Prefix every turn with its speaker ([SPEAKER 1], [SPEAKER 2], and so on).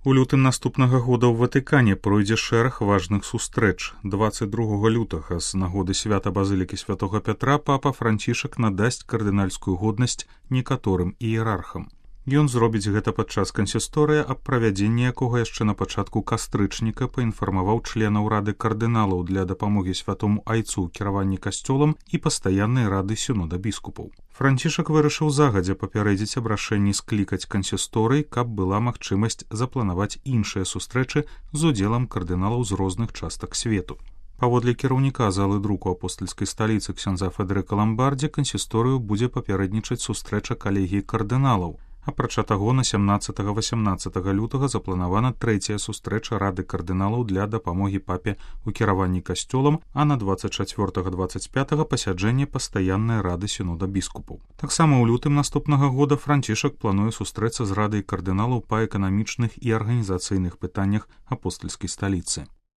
[SPEAKER 1] У лютым наступнага года ў Ватыкане пройдзе шэраг важных сустрэч. 22 лютага з нагоды свята базылікі святога Пятра папа Францішак надасць кардынальскую годнасць некаторым іерархам. Ён зробіць гэта падчас кансісторыя, аб правядзенні якога яшчэ на пачатку кастрычніка паінфармаваў членаў рады кардыналаў для дапамогі святому айцу ў кіраванні касцёлам і пастаяннай рады сінода біскупаў. Францішак вырашыў загадзя папярэдзіць аб рашэнні склікаць кансісторый, каб была магчымасць запланаваць іншыя сустрэчы з удзелам кардыналаў з розных частак свету. Паводле кіраўніка залы друку апостальскай сталіцы ксяндза Федэрыка Ламбардзі кансісторыю будзе папярэднічаць сустрэча калегіі кардыналаў. Апрача таго, на 17-18 лютага запланавана трэцяя сустрэча рады кардыналаў для дапамогі папе ў кіраванні касцёлам, а на 24-25 пасяджэнне пастаяннай рады сінода біскупаў. Таксама ў лютым наступнага года Францішак плануе сустрэцца з радай кардыналаў па эканамічных і арганізацыйных пытаннях апостальскай сталіцы.